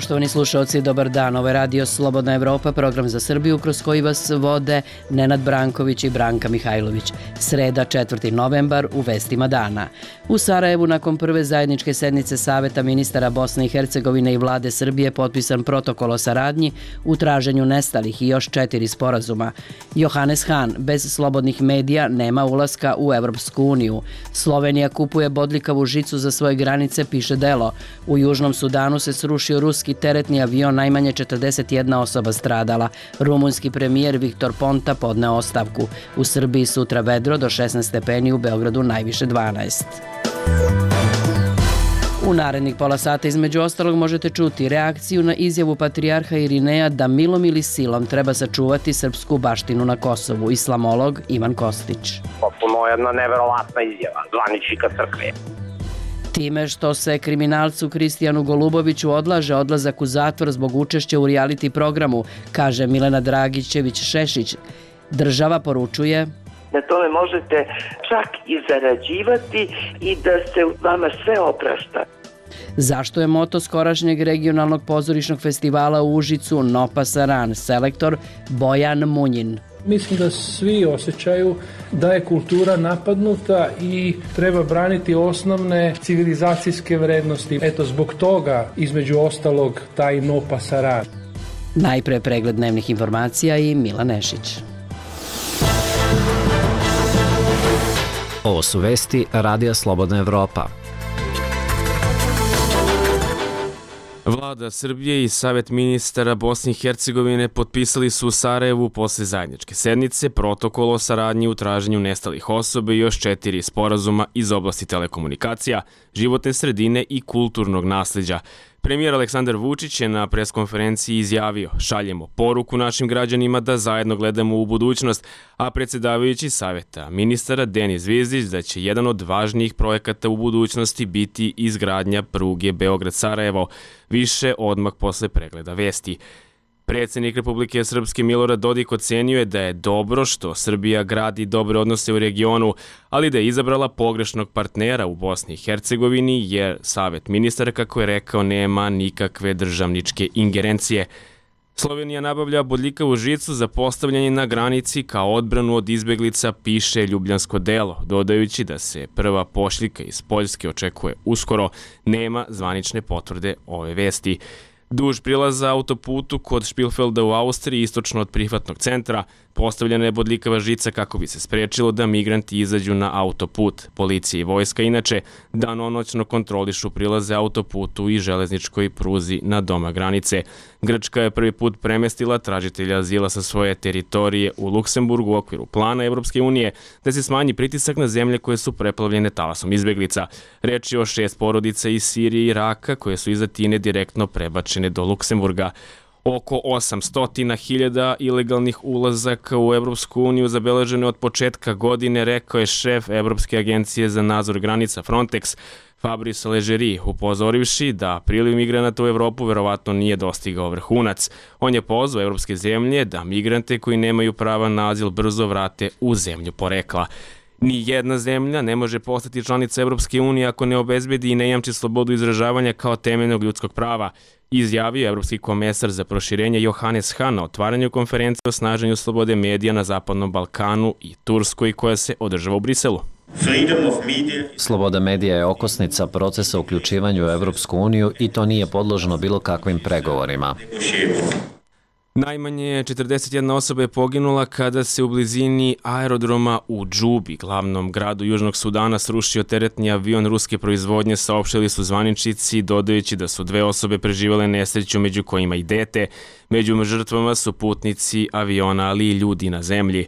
Poštovani slušalci, dobar dan. Ovo je Radio Slobodna Evropa, program za Srbiju kroz koji vas vode Nenad Branković i Branka Mihajlović. Sreda, 4. novembar, u vestima dana. U Sarajevu nakon prve zajedničke sednice Saveta ministara Bosne i Hercegovine i vlade Srbije potpisan protokol o saradnji u traženju nestalih i još 4 sporazuma. Johannes Hahn, bez slobodnih medija nema ulaska u Evropsku uniju. Slovenija kupuje bodljikavu žicu za svoje granice, piše Delo. U Južnom Sudanu se srušio ruski teretni avion, najmanje 41 osoba stradala. Rumunski premijer Viktor Ponta podneo ostavku. U Srbiji sutra vedro do 16 stepeni, u Beogradu najviše 12. U narednih pola sata između ostalog možete čuti reakciju na izjavu patrijarha Irineja da milom ili silom treba sačuvati srpsku baštinu na Kosovu. Islamolog Ivan Kostić. Potpuno jedna neverovatna izjava zvaničnika crkve. Time što se kriminalcu Kristijanu Goluboviću odlaže odlazak u zatvor zbog učešća u reality programu, kaže Milena Dragićević-Šešić, država poručuje: na tome možete čak i zarađivati i da se vama sve oprašta. Zašto je moto skorašnjeg regionalnog pozorišnog festivala u Užicu No pasaran, selektor Bojan Munjin. Mislim da svi osjećaju da je kultura napadnuta i treba braniti osnovne civilizacijske vrednosti. Eto, zbog toga, između ostalog, taj No pasaran. Najpre pregled dnevnih informacija i Mila Nešić. Ovo su vesti Radija Slobodna Evropa. Vlada Srbije i Savet ministara Bosne i Hercegovine potpisali su u Sarajevu posle zajedničke sednice protokol o saradnji u traženju nestalih osoba i još 4 sporazuma iz oblasti telekomunikacija, životne sredine i kulturnog nasleđa. Premijer Aleksandar Vučić je na preskonferenciji izjavio: šaljemo poruku našim građanima da zajedno gledamo u budućnost, a predsjedavajući Saveta ministara Denis Zvizdić da će jedan od važnijih projekata u budućnosti biti izgradnja pruge Beograd-Sarajevo. Više odmah posle pregleda vesti. Predsjednik Republike Srpske Milorad Dodik ocenio je da je dobro što Srbija gradi dobre odnose u regionu, ali da je izabrala pogrešnog partnera u Bosni i Hercegovini jer Savet ministara, kako je rekao, nema nikakve državničke ingerencije. Slovenija nabavlja bodljikavu žicu za postavljanje na granici kao odbranu od izbeglica, piše Ljubljansko Delo, dodajući da se prva pošiljka iz Poljske očekuje uskoro. Nema zvanične potvrde ove vesti. Duž prilaza autoputu kod Špilfelda u Austriji, istočno od prihvatnog centra, postavljena je bodljikava žica kako bi se sprečilo da migranti izađu na autoput. Policija i vojska inače danonoćno kontrolišu prilaze autoputu i železničkoj pruzi na doma granice. Grčka je prvi put premestila tražitelja azila sa svoje teritorije u Luksemburgu u okviru plana Evropske unije da se smanji pritisak na zemlje koje su preplavljene talasom izbeglica. Reč je o 6 porodica iz Sirije i Iraka koje su iz Atine direktno prebačene do Luksemburga. Oko 800.000 ilegalnih ulazaka u Evropsku uniju zabeleženo od početka godine, rekao je šef Evropske agencije za nadzor granica Frontex, Fabrice Leggeri, upozorivši da priliv migranata u Evropu verovatno nije dostigao vrhunac. On je pozvao evropske zemlje da migrante koji nemaju prava na azil brzo vrate u zemlju porekla. Ni jedna zemlja ne može postati članica Evropske unije ako ne obezbedi i ne jamči slobodu izražavanja kao temeljnog ljudskog prava, izjavio evropski komesar za proširenje Johannes Hahn na otvaranju konferencije o snaženju slobode medija na Zapadnom Balkanu i Turskoj koja se održava u Briselu. Sloboda medija je okosnica procesa uključivanja u Evropsku uniju i to nije podloženo bilo kakvim pregovorima. Najmanje 41 osoba je poginula kada se u blizini aerodroma u Džubi, glavnom gradu Južnog Sudana, srušio teretni avion ruske proizvodnje, saopštili su zvaničnici, dodajući da su 2 osobe preživjele nesreću, među kojima i dete. Među žrtvama su putnici aviona, ali i ljudi na zemlji.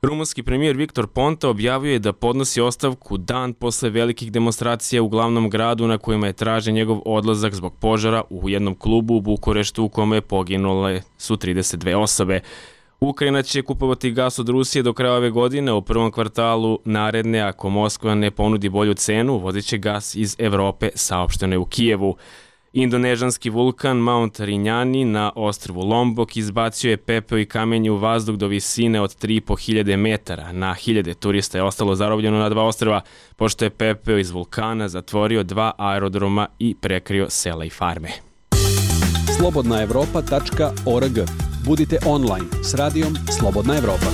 Rumunski premijer Viktor Ponta objavio je da podnosi ostavku dan posle velikih demonstracija u glavnom gradu na kojima je tražen njegov odlazak zbog požara u jednom klubu u Bukureštu u kome poginule su 32 osobe. Ukrajina će kupovati gas od Rusije do kraja ove godine, u prvom kvartalu naredne, ako Moskva ne ponudi bolju cenu, uvozit će gas iz Evrope, saopšteno je u Kijevu. Indonežanski vulkan Mount Rinjani na ostrvu Lombok izbacio je pepeo i kamenje u vazduh do visine od 3.500 metara. Na hiljade turista je ostalo zarobljeno na 2 ostrva, pošto je pepeo iz vulkana zatvorio 2 aerodroma i prekrio sela i farme. slobodnaevropa.org. Budite online s radijom Slobodna Evropa.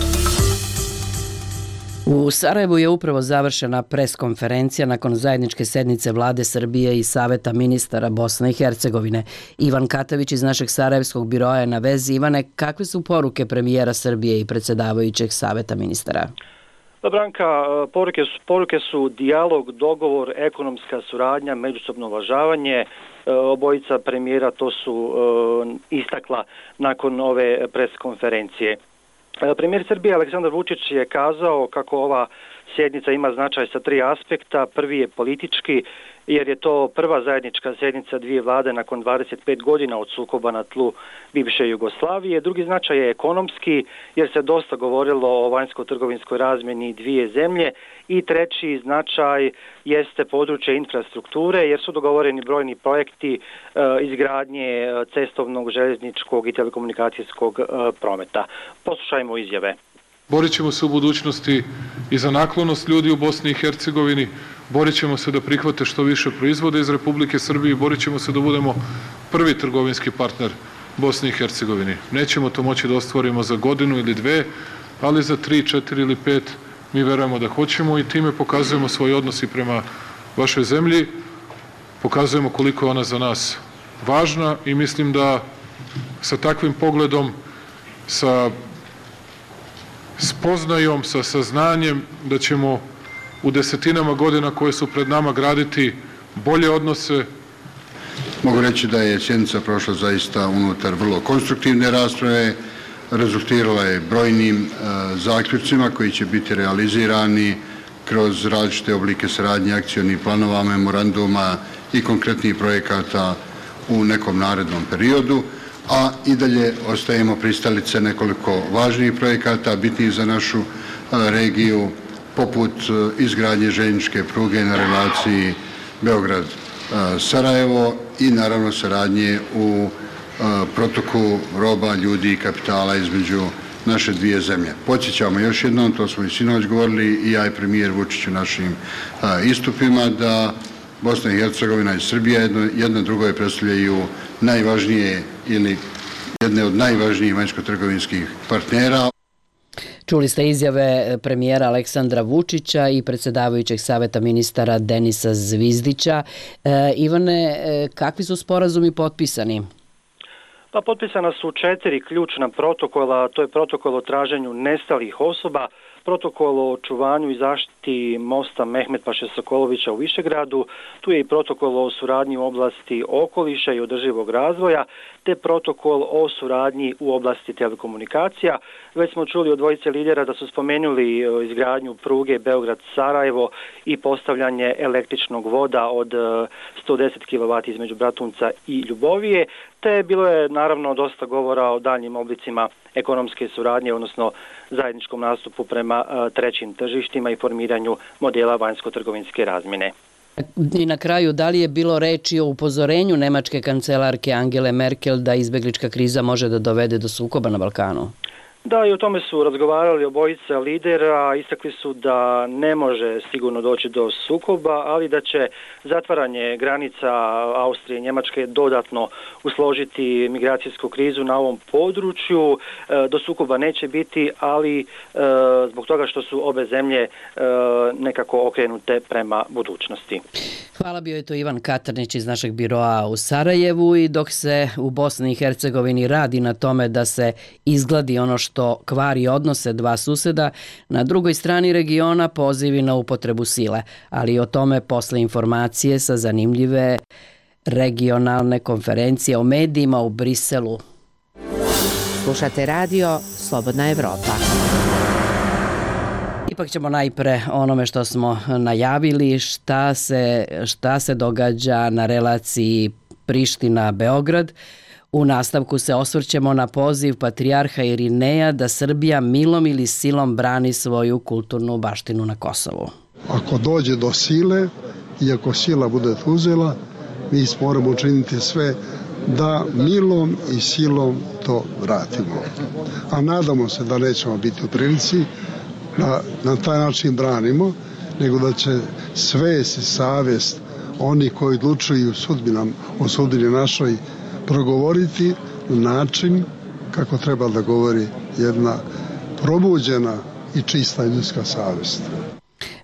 U Sarajevu je upravo završena preskonferencija nakon zajedničke sednice Vlade Srbije i Saveta ministara Bosne i Hercegovine. Ivan Katavić iz našeg sarajevskog biroa je na vezi. Ivane, kakve su poruke premijera Srbije i predsjedavajućeg Saveta ministara? Branka, poruke su dijalog, dogovor, ekonomska suradnja, međusobno uvažavanje. Obojica premijera to su istakla nakon ove preskonferencije. Premijer Srbije Aleksandar Vučić je kazao kako ova sjednica ima značaj sa 3 aspekta. Prvi je politički, jer je to prva zajednička sjednica dvije vlade nakon 25 godina od sukoba na tlu bivše Jugoslavije. Drugi značaj je ekonomski, jer se dosta govorilo o vanjsko-trgovinskoj razmjeni dvije zemlje. I treći značaj jeste područje infrastrukture, jer su dogovoreni brojni projekti izgradnje cestovnog, željezničkog i telekomunikacijskog prometa. Poslušajmo izjave. Borit ćemo se u budućnosti i za naklonost ljudi u Bosni i Hercegovini, borit ćemo se da prihvate što više proizvode iz Republike Srbije i borit ćemo se da budemo prvi trgovinski partner Bosni i Hercegovini. Nećemo to moći da ostvarimo za godinu ili dve, ali za 3, 4 ili 5 mi verujemo da hoćemo i time pokazujemo svoj odnos i prema vašoj zemlji, pokazujemo koliko je ona za nas važna i mislim da sa takvim pogledom, sa spoznajom, sa saznanjem da ćemo u desetinama godina koje su pred nama graditi bolje odnose. Mogu reći da je sjednica prošla zaista unutar vrlo konstruktivne rasprave, rezultirala je brojnim zaključcima koji će biti realizirani kroz različite oblike saradnje, akcionih planova, memoranduma i konkretnih projekata u nekom narednom periodu, a i dalje ostajemo pristalice nekoliko važnijih projekata, bitnih za našu regiju, poput izgradnje željezničke pruge na relaciji Beograd-Sarajevo i naravno saradnje u protoku roba, ljudi i kapitala između naše dvije zemlje. Podsjećamo još jednom, to smo i sinoć govorili i ja i premijer Vučić u našim istupima, da Bosna i Hercegovina i Srbija jedna drugoj predstavljaju najvažnije ili jedne od najvažnijih vanjsko-trgovinskih partnera. Čuli ste izjave premijera Aleksandra Vučića i predsjedavajućeg Saveta ministara Denisa Zvizdića. Ivane, kakvi su sporazumi potpisani? Pa potpisana su 4 ključna protokola, to je protokol o traženju nestalih osoba, protokol o očuvanju i zaštiti mosta Mehmet Paše Sokolovića u Višegradu, tu je i protokol o suradnji u oblasti okoliša i održivog razvoja, te protokol o suradnji u oblasti telekomunikacija. Već smo čuli od dvojice lidera da su spomenuli izgradnju pruge Beograd-Sarajevo i postavljanje električnog voda od 110 kW između Bratunca i Ljubovije, te bilo je naravno dosta govora o daljnjim oblicima ekonomske suradnje, odnosno zajedničkom nastupu prema trećim tržištima i formiranju modela vanjsko-trgovinske razmjene. I na kraju, da li je bilo reči o upozorenju nemačke kancelarke Angele Merkel da izbeglička kriza može da dovede do sukoba na Balkanu? Da, i o tome su razgovarali obojica lidera, istakli su da ne može sigurno doći do sukoba, ali da će zatvaranje granica Austrije i Njemačke dodatno usložiti migracijsku krizu na ovom području. Do sukoba neće biti, ali zbog toga što su obe zemlje nekako okrenute prema budućnosti. Hvala, bio je to Ivan Katarnić iz našeg biroa u Sarajevu i dok se u Bosni i Hercegovini radi na tome da se izgladi ono što kvari odnose dva suseda, na drugoj strani regiona pozivi na upotrebu sile, ali o tome posle informacije sa zanimljive regionalne konferencije o medijima u Briselu. Slušate radio Slobodna Evropa. Ipak ćemo najpre onome što smo najavili, šta se događa na relaciji Priština-Beograd. U nastavku se osvrćemo na poziv patrijarha Irineja da Srbija milom ili silom brani svoju kulturnu baštinu na Kosovu. Ako dođe do sile i ako sila bude uzela, mi moramo učiniti sve da milom i silom to vratimo. A nadamo se da nećemo biti u prilici da na taj način branimo, nego da će svest i savjest oni koji odlučuju o sudbini našoj progovoriti na način kako treba da govori jedna probuđena i čista ljudska savjest.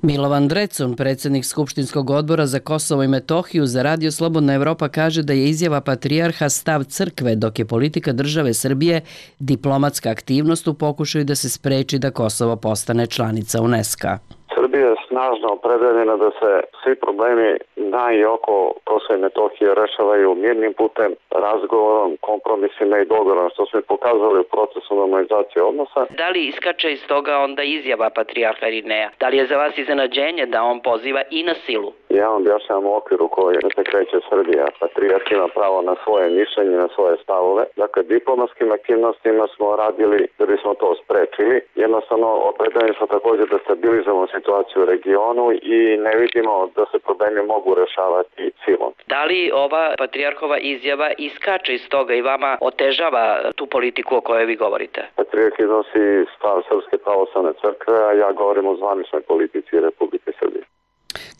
Milovan Drecun, predsjednik Skupštinskog odbora za Kosovo i Metohiju za Radio Slobodna Evropa, kaže da je izjava patrijarha stav crkve, dok je politika države Srbije diplomatska aktivnost u pokušaju da se spreči da Kosovo postane članica UNESCO-a. Srbija je snažno opredeljena da se svi problemi na i oko Kosova i Metohije rešavaju mirnim putem, razgovorom, kompromisima i dogovorom, što smo pokazali u procesu normalizacije odnosa. Da li iskače iz toga onda izjava patrijarha Irineja? Da li je za vas iznenađenje da on poziva i na silu? Ja vam objašnjavam u okviru koji se kreće Srbija. Patrijarh ima pravo na svoje mišljenje, na svoje stavove. Dakle, diplomatskim aktivnostima smo radili da bismo to sprečili. Jednostavno, opredeljeni smo također da stabilizujemo situaciju u regionu i ne vidimo da se problemi mogu rešavati silom. Da li ova patrijarhova izjava iskače iz toga i vama otežava tu politiku o kojoj vi govorite? Patrijarh iznosi stav Srpske pravoslavne crkve, a ja govorim o zvaničnoj politici Republike Srbije.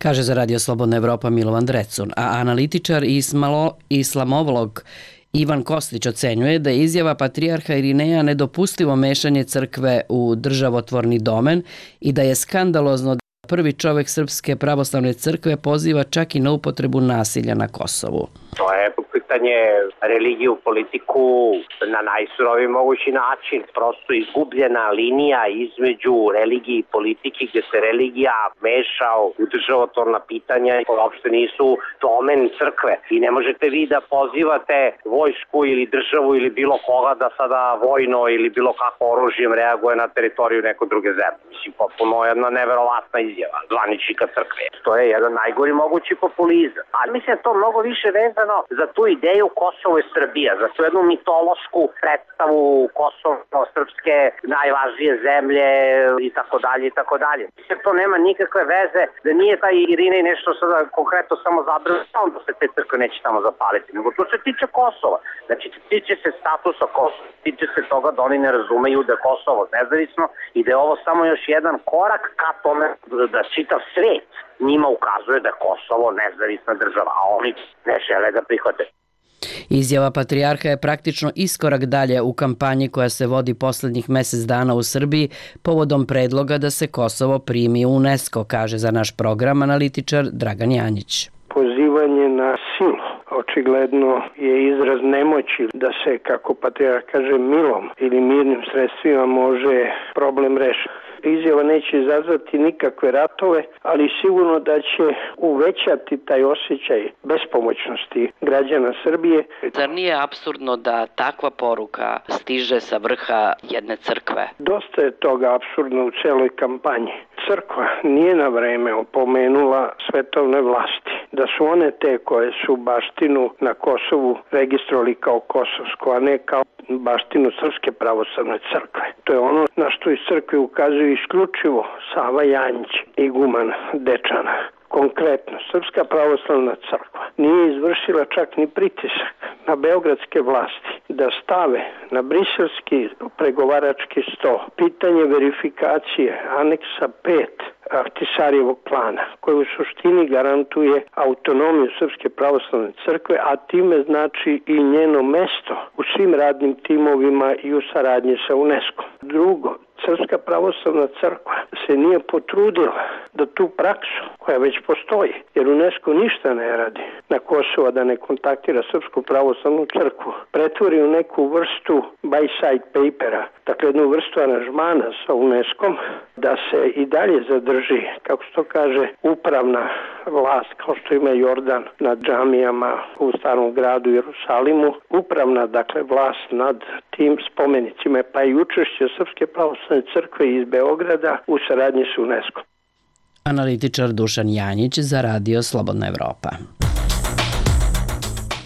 Kaže za Radio Slobodna Evropa Milovan Drecun, a analitičar i islamovlog Ivan Kostić ocenjuje da je izjava patrijarha Irineja nedopustivo mešanje crkve u državotvorni domen i da je skandalozno da prvi čovek Srpske pravoslavne crkve poziva čak i na upotrebu nasilja na Kosovu. To je pitanje religije u politiku na najsuroviji mogući način. Prosto izgubljena linija između religije i politike gdje se religija meša u državotvorna pitanja i uopšte nisu domen crkve. I ne možete vi da pozivate vojsku ili državu ili bilo koga da sada vojno ili bilo kako oružjem reaguje na teritoriju neke druge zemlje. Mislim, potpuno jedna neverovatna izjava zvaničnika crkve. To je jedan najgori mogući populizam. Ali mislim da to mnogo više vezano za tu ideju Kosovo i Srbija, za tu jednu mitološku predstavu Kosovo-srpske najvažnije zemlje i tako dalje i tako dalje. Mislim, to nema nikakve veze, da nije taj Irinej nešto sada konkretno samo zabrano, da se te crkve neće tamo zapaliti, nego to se tiče Kosova. Znači, tiče se statusa Kosova, tiče se toga da oni ne razumeju da je Kosovo nezavisno i da je ovo samo još jedan korak ka tome da čitav svet njima ukazuje da je Kosovo nezavisna država, a oni ne žele da prihvate. Izjava patrijarha je praktično iskorak dalje u kampanji koja se vodi poslednjih mesec dana u Srbiji povodom predloga da se Kosovo primi u UNESCO, kaže za naš program analitičar Dragan Janjić. Pozivanje na silu očigledno je izraz nemoći da se, kako patrijarh kaže, milom ili mirnim sredstvima može problem rešiti. Izjava neće izazvati nikakve ratove, ali sigurno da će uvećati taj osjećaj bespomoćnosti građana Srbije. Zar nije apsurdno da takva poruka stiže sa vrha jedne crkve? Dosta je toga apsurdno u celoj kampanji. Crkva nije na vreme opomenula svetovne vlasti da su one te koje su baštinu na Kosovu registrovali kao kosovsku, a ne kao baštinu Srpske pravoslavne crkve. To je ono na što iz crkve ukazuju isključivo Sava Janjić, iguman Dečana. Konkretno, Srpska pravoslavna crkva nije izvršila čak ni pritisak na beogradske vlasti da stave na briselski pregovarački sto pitanje verifikacije aneksa 5 Ahtisarjevog plana, koji u suštini garantuje autonomiju Srpske pravoslavne crkve, a time znači i njeno mesto u svim radnim timovima i u saradnji sa UNESCO. Drugo, Srpska pravoslavna crkva se nije potrudila da tu praksu, koja već postoji, jer UNESCO ništa ne radi na Kosovo da ne kontaktira Srpsku pravoslavnu crkvu, pretvori u neku vrstu by-side papera, dakle jednu vrstu aranžmana sa UNESCO-om, da se i dalje zadrži, kako se to kaže, upravna vlast, kao što ima Jordan nad džamijama u Starom gradu Jerusalimu, upravna, dakle, vlast nad tim spomenicima, pa i učešće Srpske pravoslavne crkve iz Beograda u saradnji s UNESCO. Analitičar Dušan Janjić za Radio Slobodna Evropa.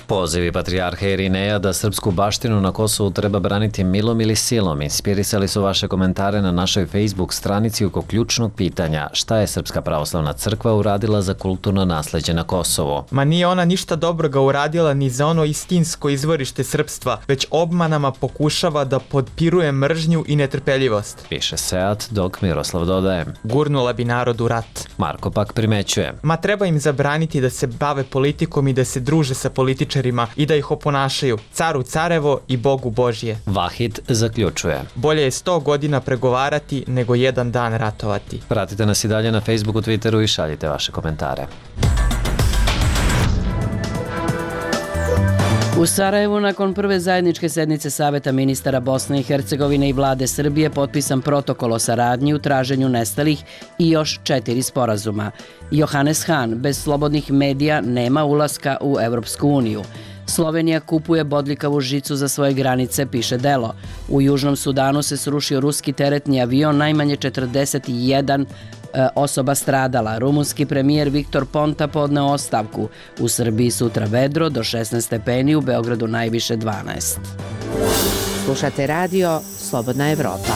Pozivi patrijarha Irineja da srpsku baštinu na Kosovu treba braniti milom ili silom inspirisali su vaše komentare na našoj Facebook stranici oko ključnog pitanja šta je Srpska pravoslavna crkva uradila za kulturno nasleđe na Kosovu. Ma nije ona ništa dobroga uradila ni za ono istinsko izvorište srpstva, već obmanama pokušava da podpiruje mržnju i netrpeljivost. Piše Seat, dok Miroslav dodaje. Gurnula bi narod u rat. Marko pak primećuje. Ma treba im zabraniti da se bave politikom i da se druže sa političarima političarima i da ih oponašaju, caru carevo i Bogu Božje. Vahid zaključuje. Bolje je 100 godina pregovarati nego jedan dan ratovati. Pratite nas i dalje na Facebooku, Twitteru i šaljite vaše komentare. U Sarajevu nakon prve zajedničke sednice Saveta ministara Bosne i Hercegovine i vlade Srbije potpisan protokol o saradnji u traženju nestalih i još 4 sporazuma. Johannes Hahn, bez slobodnih medija nema ulaska u Evropsku uniju. Slovenija kupuje bodljikavu žicu za svoje granice, piše Delo. U Južnom Sudanu se srušio ruski teretni avion, najmanje 41 osoba stradala. Rumunski premijer Viktor Ponta podneo ostavku. U Srbiji sutra vedro do 16 stepeni, u Beogradu najviše 12. Slušate radio Slobodna Evropa.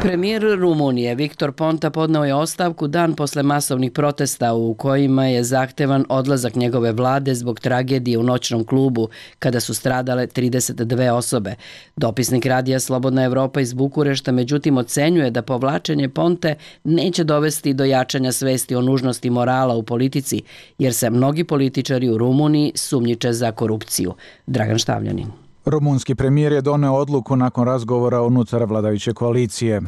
Premijer Rumunije Viktor Ponta podneo je ostavku dan posle masovnih protesta u kojima je zahtevan odlazak njegove vlade zbog tragedije u noćnom klubu kada su stradale 32 osobe. Dopisnik radija Slobodna Evropa iz Bukurešta međutim ocenjuje da povlačenje Ponte neće dovesti do jačanja svesti o nužnosti morala u politici, jer se mnogi političari u Rumuniji sumnjiče za korupciju. Dragan Štavljanin. Rumunski premijer je doneo odluku nakon razgovora unutar vladajuće koalicije.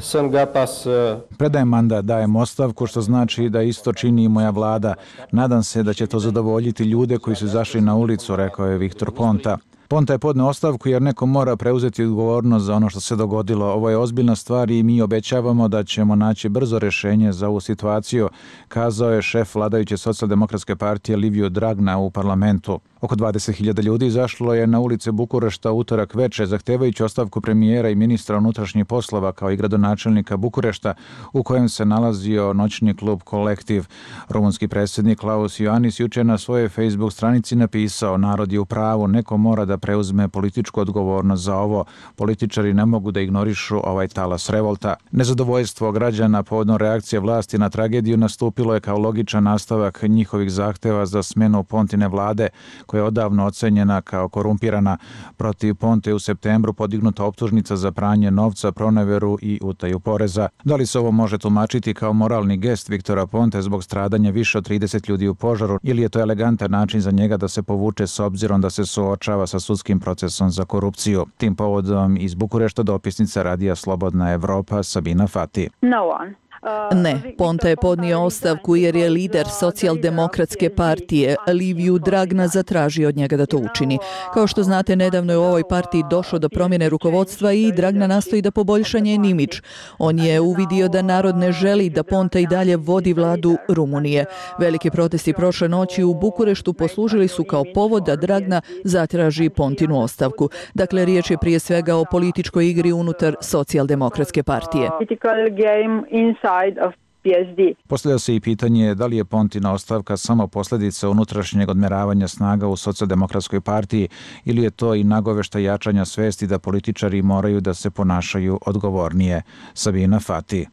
Predajem mandat, dajem ostavku, što znači da isto čini i moja vlada. Nadam se da će to zadovoljiti ljude koji su izašli na ulicu, rekao je Viktor Ponta. Ponta je podneo ostavku jer neko mora preuzeti odgovornost za ono što se dogodilo. Ovo je ozbiljna stvar i mi obećavamo da ćemo naći brzo rješenje za ovu situaciju, kazao je šef vladajuće socijaldemokratske partije Liviu Dragna u parlamentu. Oko 20.000 ljudi izašlo je na ulice Bukurešta utorak veče, zahtevajući ostavku premijera i ministra unutrašnjih poslova kao i gradonačelnika Bukurešta, u kojem se nalazio noćni klub Kolektiv. Rumunski predsjednik Klaus Iohannis juče na svojoj Facebook stranici napisao: narod je u pravu, neko mora da preuzme političku odgovornost za ovo. Političari ne mogu da ignorišu ovaj talas revolta. Nezadovoljstvo građana povodom reakcije vlasti na tragediju nastupilo je kao logičan nastavak njihovih zahteva za smenu Pontine vlade, koja je odavno ocenjena kao korumpirana. Protiv Ponte u septembru podignuta optužnica za pranje novca, proneveru i utaju poreza. Da li se ovo može tumačiti kao moralni gest Viktora Ponte zbog stradanja više od 30 ljudi u požaru, ili je to elegantan način za njega da se povuče s obzirom da se suočava sa sudskim procesom za korupciju? Tim povodom iz Bukurešta dopisnica radija Slobodna Evropa Sabina Fati. Ne, Ponta je podnio ostavku jer je lider socijaldemokratske partije Liviu Dragna zatražio od njega da to učini. Kao što znate, nedavno je u ovoj partiji došlo do promjene rukovodstva i Dragna nastoji da poboljša njen imidž. On je uvidio da narod ne želi da Ponta i dalje vodi vladu Rumunije. Veliki protesti prošle noći u Bukureštu poslužili su kao povod da Dragna zatraži Pontinu ostavku. Dakle, riječ je prije svega o političkoj igri unutar socijaldemokratske partije. Postavlja se i pitanje da li je Pontina ostavka samo posljedica unutrašnjeg odmeravanja snaga u socijaldemokratskoj partiji ili je to i nagovešta jačanja svesti da političari moraju da se ponašaju odgovornije. Sabina Fati.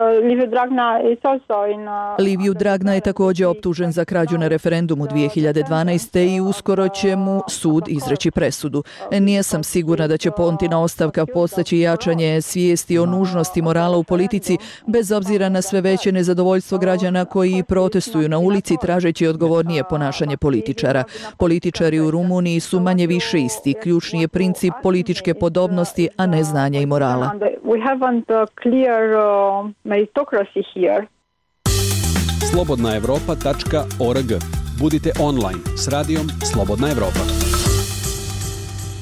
Liviu Dragna je također optužen za krađu na referendumu 2012. i uskoro će mu sud izreći presudu. Nije sam sigurna da će Pontina ostavka postaći jačanje svijesti o nužnosti morala u politici, bez obzira na sve veće nezadovoljstvo građana koji protestuju na ulici tražeći odgovornije ponašanje političara. Političari u Rumuniji su manje više isti. Ključni je princip političke podobnosti, a ne znanja i morala. slobodnaevropa.org. Budite online s radijom Slobodna Evropa.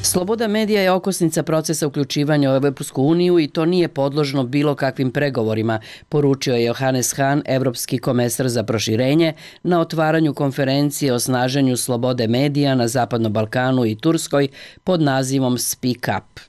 Sloboda medija je okosnica procesa uključivanja u Evropsku uniju i to nije podložno bilo kakvim pregovorima, poručio je Johannes Hahn, evropski komesar za proširenje, na otvaranju konferencije o snaženju slobode medija na Zapadnom Balkanu i Turskoj pod nazivom Speak Up.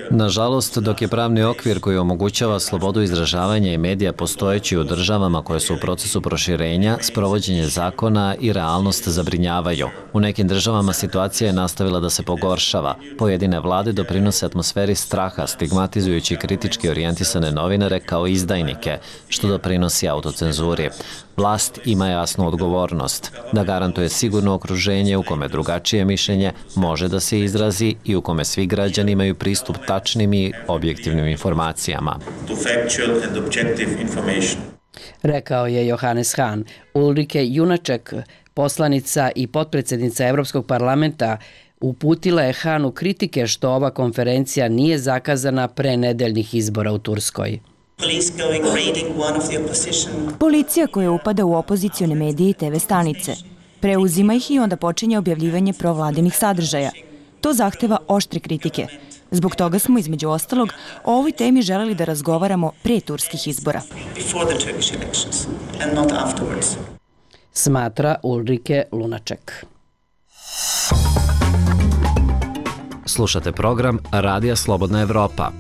Nažalost, dok je pravni okvir koji omogućava slobodu izražavanja i medija postojeći u državama koje su u procesu proširenja, sprovođenje zakona i realnost zabrinjavaju. U nekim državama situacija je nastavila da se pogoršava. Pojedine vlade doprinose atmosferi straha, stigmatizujući kritički orijentisane novinare kao izdajnike, što doprinosi autocenzuri. Vlast ima jasnu odgovornost da garantuje sigurno okruženje u kome drugačije mišljenje može da se izrazi i u kome svi građani imaju pristup tačnim i objektivnim informacijama. Rekao je Johannes Hahn. Ulrike Junaček, poslanica i potpredsjednica Evropskog parlamenta, uputila je Hanu kritike što ova konferencija nije zakazana pre nedeljnih izbora u Turskoj. Policija koja upada u opozicione medije i TV stanice. Preuzima ih i onda počinje objavljivanje provladinih sadržaja. To zahteva oštre kritike. Zbog toga smo, između ostalog, o ovoj temi želeli da razgovaramo pre turskih izbora. Smatra Ulrike Lunaček. Slušate program Radija Slobodna Evropa.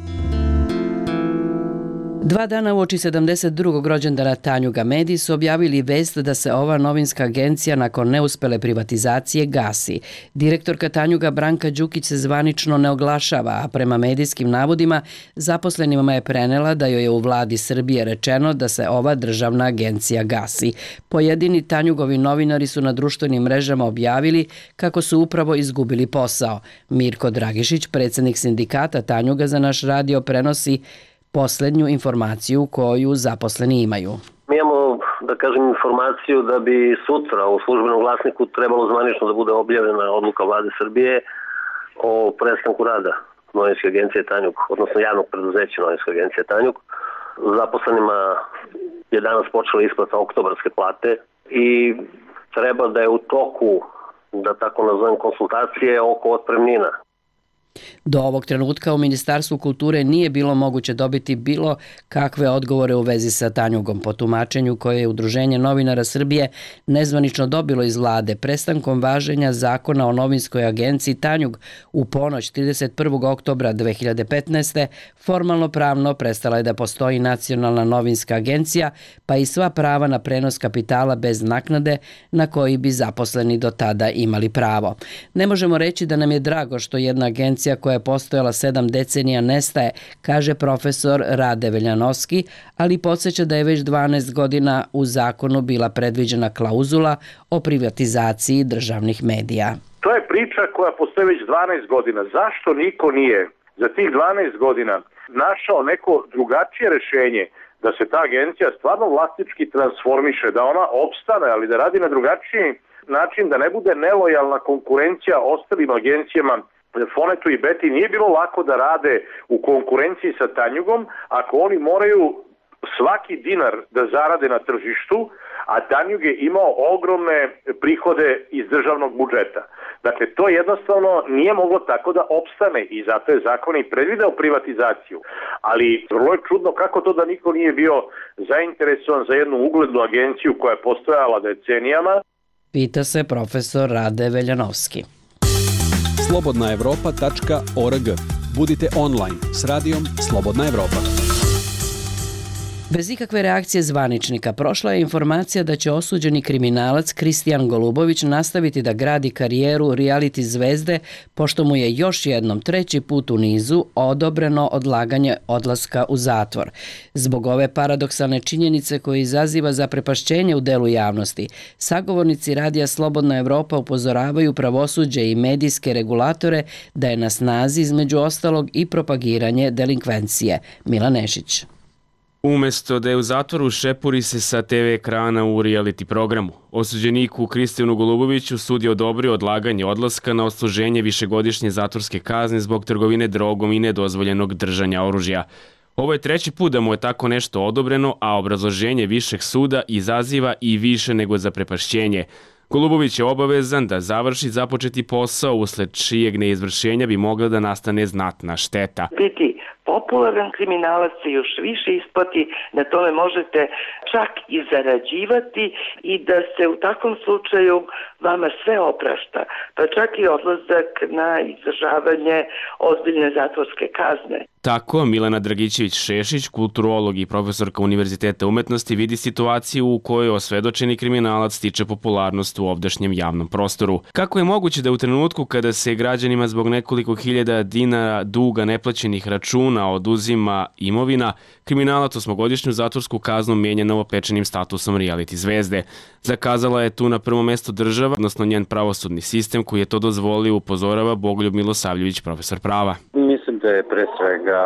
2 dana uoči 72. rođendana Tanjuga mediji su objavili vest da se ova novinska agencija nakon neuspele privatizacije gasi. Direktorka Tanjuga Branka Đukić se zvanično ne oglašava, a prema medijskim navodima zaposlenima je prenela da joj je u vladi Srbije rečeno da se ova državna agencija gasi. Pojedini Tanjugovi novinari su na društvenim mrežama objavili kako su upravo izgubili posao. Mirko Dragišić, predsjednik sindikata Tanjuga, za naš radio prenosi poslednju informaciju koju zaposleni imaju. Mi imamo, da kažem, informaciju da bi sutra u službenom glasniku trebalo zvanično da bude objavljena odluka vlade Srbije o prestanku rada novinske agencije Tanjug, odnosno javnog preduzeća novinske agencije Tanjug. Zaposlenima je danas počela isplata oktobarske plate i treba da je u toku, da tako nazovem, konsultacije oko otpremnina. Do ovog trenutka u Ministarstvu kulture nije bilo moguće dobiti bilo kakve odgovore u vezi sa Tanjugom. Po tumačenju koje je Udruženje novinara Srbije nezvanično dobilo iz vlade, prestankom važenja zakona o novinskoj agenciji Tanjug u ponoć 31. oktobra 2015. formalno pravno prestala je da postoji nacionalna novinska agencija, pa i sva prava na prenos kapitala bez naknade na koji bi zaposleni do tada imali pravo. Ne možemo reći da nam je drago što jedna agencija koja je postojala 7 decenija nestaje, kaže profesor Rade Veljanovski, ali podsjeća da je već 12 godina u zakonu bila predviđena klauzula o privatizaciji državnih medija. To je priča koja postoji već 12 godina. Zašto niko nije za tih 12 godina našao neko drugačije rešenje da se ta agencija stvarno vlasnički transformiše, da ona opstane, ali da radi na drugačiji način, da ne bude nelojalna konkurencija ostalim agencijama. Fonetu i Beti nije bilo lako da rade u konkurenciji sa Tanjugom ako oni moraju svaki dinar da zarade na tržištu, a Tanjug je imao ogromne prihode iz državnog budžeta. Dakle, to jednostavno nije moglo tako da opstane i zato je zakon i predvideo privatizaciju. Ali vrlo je čudno kako to da niko nije bio zainteresovan za jednu uglednu agenciju koja je postojala decenijama. Pita se profesor Rade Veljanovski. slobodnaevropa.org. Budite online s radijom Slobodna Evropa. Bez ikakve reakcije zvaničnika prošla je informacija da će osuđeni kriminalac Kristijan Golubović nastaviti da gradi karijeru reality zvezde, pošto mu je još jednom 3. put u nizu odobreno odlaganje odlaska u zatvor. Zbog ove paradoksalne činjenice koje izaziva zaprepašćenje u delu javnosti, sagovornici Radija Slobodna Evropa upozoravaju pravosuđe i medijske regulatore da je na snazi između ostalog i propagiranje delinkvencije. Milan Nešić. Umesto da je u zatvoru, šepuri se sa TV ekrana u reality programu. Osuđeniku Kristijanu Goluboviću sud je odobrio odlaganje odlaska na odsluženje višegodišnje zatvorske kazne zbog trgovine drogom i nedozvoljenog držanja oružja. Ovo je 3. put da mu je tako nešto odobreno, a obrazloženje višeg suda izaziva i više nego zaprepašćenje. Golubović je obavezan da završi započeti posao, usled čijeg neizvršenja bi mogla da nastane znatna šteta. Biti popularan kriminalac se još više isplati, na tome možete čak i zarađivati i da se u takvom slučaju vama sve oprašta, pa čak i odlazak na izdržavanje ozbiljne zatvorske kazne. Tako Milena Dragićević-Šešić, kulturolog i profesorka Univerziteta umetnosti, vidi situaciju u kojoj osvedočeni kriminalac stiče popularnost u ovdašnjem javnom prostoru. Kako je moguće da u trenutku kada se građanima zbog nekoliko hiljada dinara duga neplaćenih računa oduzima imovina, kriminalac 8-godišnju zatvorsku kaznu menja novopečenim statusom reality zvezde? Zakazala je tu na prvo mesto država, odnosno njen pravosudni sistem koji je to dozvolio, upozorava Bogoljub Milosavljević, profesor prava. Mislim da je pre svega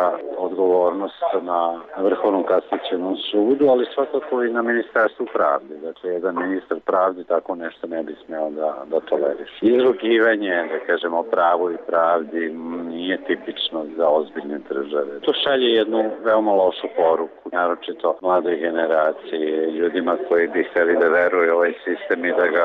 odgovornost na Vrhovnom kasacionom sudu, ali svakako i na Ministarstvu pravde. Dakle, jedan ministar pravde tako nešto ne bi smeo da toleriše. Izrugivanje, da kažemo, pravu i pravdi nije tipično za ozbiljne države. To šalje jednu veoma lošu poruku, naročito mladoj generaciji, ljudima koji bi hteli da veruju ovaj sistem i da ga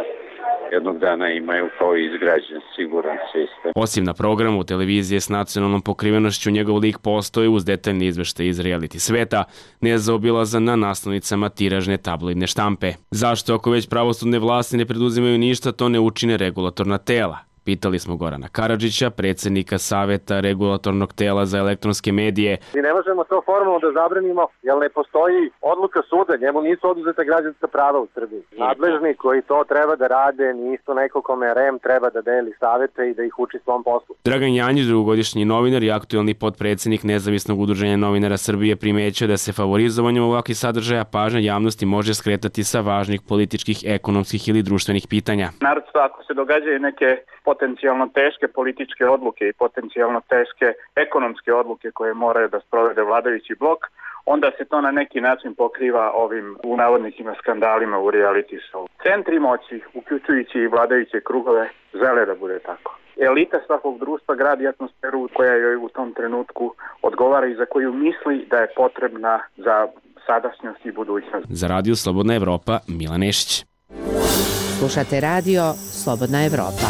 jednog dana imaju kao izgrađen, siguran sistem. Osim na programu televizije s nacionalnom pokrivenošću, njegov lik postoji uz detaljni izveštaj iz reality sveta, nezaobilazan na naslovnicama tiražne tabloidne štampe. Zašto, ako već pravosudne vlasti ne preduzimaju ništa, to ne učine regulatorna tela? Pitali smo Gorana Karadžića, predsjednika Saveta regulatornog tela za elektronske medije. Mi ne možemo to formalno da zabranimo, jer ne postoji odluka suda, njemu nisu oduzeta građanska prava u Srbiji. Nadležni koji to treba da rade nisu neko kome REM treba da deli savete i da ih uči svom poslu. Dragan Janjić, dugogodišnji novinar i aktuelni potpredsjednik Nezavisnog udruženja novinara Srbije, primećuje da se favorizovanjem ovakvih sadržaja pažnja javnosti može skretati sa važnih političkih, ekonomskih ili društvenih pitanja. Naravno, ako se događaju neke potencijalno teške političke odluke i potencijalno teške ekonomske odluke koje moraju da sprovede vladajući blok, onda se to na neki način pokriva ovim u navodnicima skandalima u reality show. Centri moći, uključujući i vladajuće krugove, žele da bude tako. Elita svakog društva gradi atmosferu koja joj u tom trenutku odgovara i za koju misli da je potrebna za sadašnjost i budućnost. Za Radio Slobodna Evropa, Milan Nešić. Slušate radio Slobodna Evropa.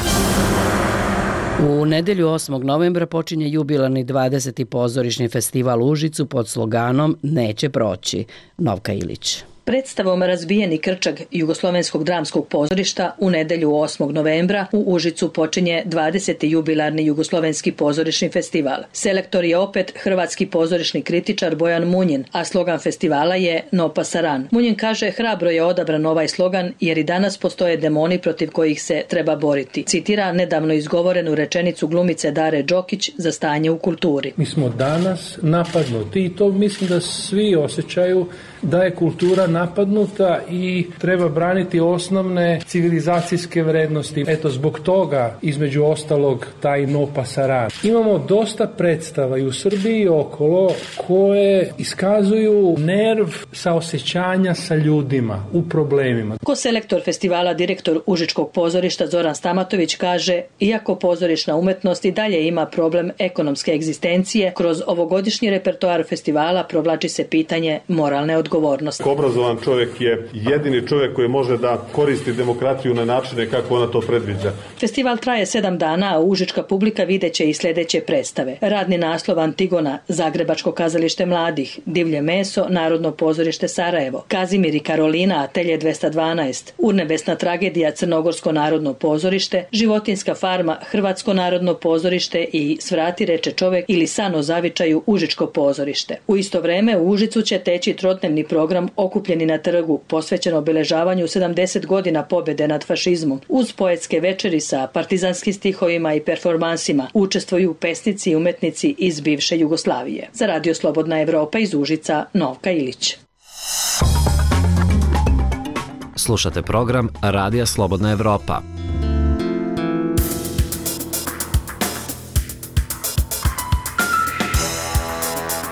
U nedelju 8. novembra počinje jubilarni 20. pozorišni festival u Užicu pod sloganom Neće proći. Novka Ilić. Predstavom Razbijeni krčag Jugoslovenskog dramskog pozorišta u nedelju 8. novembra u Užicu počinje 20. jubilarni Jugoslovenski pozorišni festival. Selektor je opet hrvatski pozorišni kritičar Bojan Munjin, a slogan festivala je No pasaran. Munjin kaže hrabro je odabran ovaj slogan jer i danas postoje demoni protiv kojih se treba boriti. Citira nedavno izgovorenu rečenicu glumice Dare Đokić za stanje u kulturi. Mi smo danas napadnuti i to mislim da svi osjećaju da je kultura napadnuta i treba braniti osnovne civilizacijske vrednosti. Eto, zbog toga, između ostalog, taj No pasaran. Imamo dosta predstava i u Srbiji i okolo koje iskazuju nerv saosećanja sa ljudima u problemima. Ko-selektor festivala, direktor Užičkog pozorišta Zoran Stamatović kaže, iako pozorišna umetnost i dalje ima problem ekonomske egzistencije, kroz ovogodišnji repertoar festivala provlači se pitanje moralne odgovornosti. Obrazovan čovjek je jedini čovjek koji može da koristi demokratiju na načine kako ona to predviđa. Festival traje 7 dana, a užička publika videće i sljedeće predstave. Radni naslov Antigona, Zagrebačko kazalište mladih, Divlje meso, Narodno pozorište Sarajevo, Kazimir i Karolina, Atelje 212, Urnebesna tragedija, Crnogorsko narodno pozorište, Životinska farma, Hrvatsko narodno pozorište i Svrati reče čovjek ili San o zavičaju, Užičko pozorište. U isto vreme u Užicu će teći trotdnevni program Okupljeni na trgu, posvećen obeležavanju 70 godina pobjede nad fašizmom. Uz poetske večeri sa partizanskim stihovima i performansima učestvuju pesnici i umetnici iz bivše Jugoslavije. Za Radio Slobodna Evropa iz Užica, Novka Ilić. Slušate program Radija Slobodna Evropa.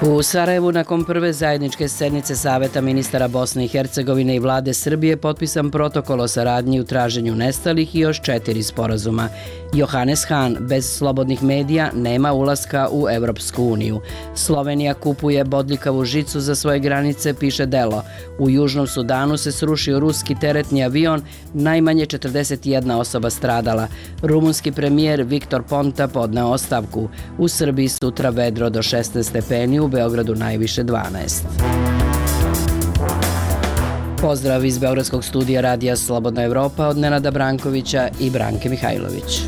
U Sarajevu nakon prve zajedničke sednice Saveta ministara Bosne i Hercegovine i vlade Srbije potpisan protokol o saradnji u traženju nestalih i još 4 sporazuma. Johannes Hahn, bez slobodnih medija nema ulaska u Evropsku uniju. Slovenija kupuje bodljikavu žicu za svoje granice, piše Delo. U Južnom Sudanu se srušio ruski teretni avion, najmanje 41 osoba stradala. Rumunski premijer Viktor Ponta podneo ostavku. U Srbiji sutra vedro do 16 stepeni, u Beogradu najviše 12. Pozdrav iz Beogradskog studija Radija Slobodna Evropa od Nenada Brankovića i Branke Mihajlović.